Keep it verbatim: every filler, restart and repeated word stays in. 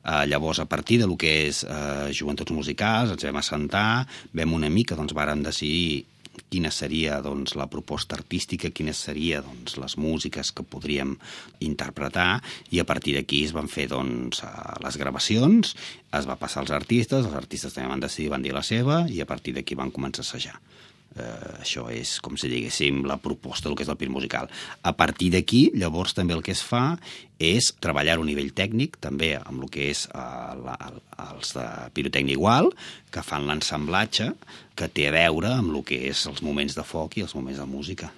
Uh, llavors, a partir de lo que és uh, joventuts musicals, ens vam assentar, vam una mica, doncs, vàrem decidir quina seria doncs, la proposta artística, quines serien doncs, les músiques que podríem interpretar, i a partir d'aquí es van fer doncs, les gravacions, es va passar als artistes, els artistes també van decidir, van dir la seva, i a partir d'aquí van començar a assajar. Uh, això és, com si diguéssim, la proposta del que és el Pir musical. A partir d'aquí, llavors, també el que es fa és treballar a nivell tècnic, també amb el que és uh, la, els de pirotècnia igual, que fan l'ensamblatge, que té a veure amb el que és els moments de foc i els moments de música.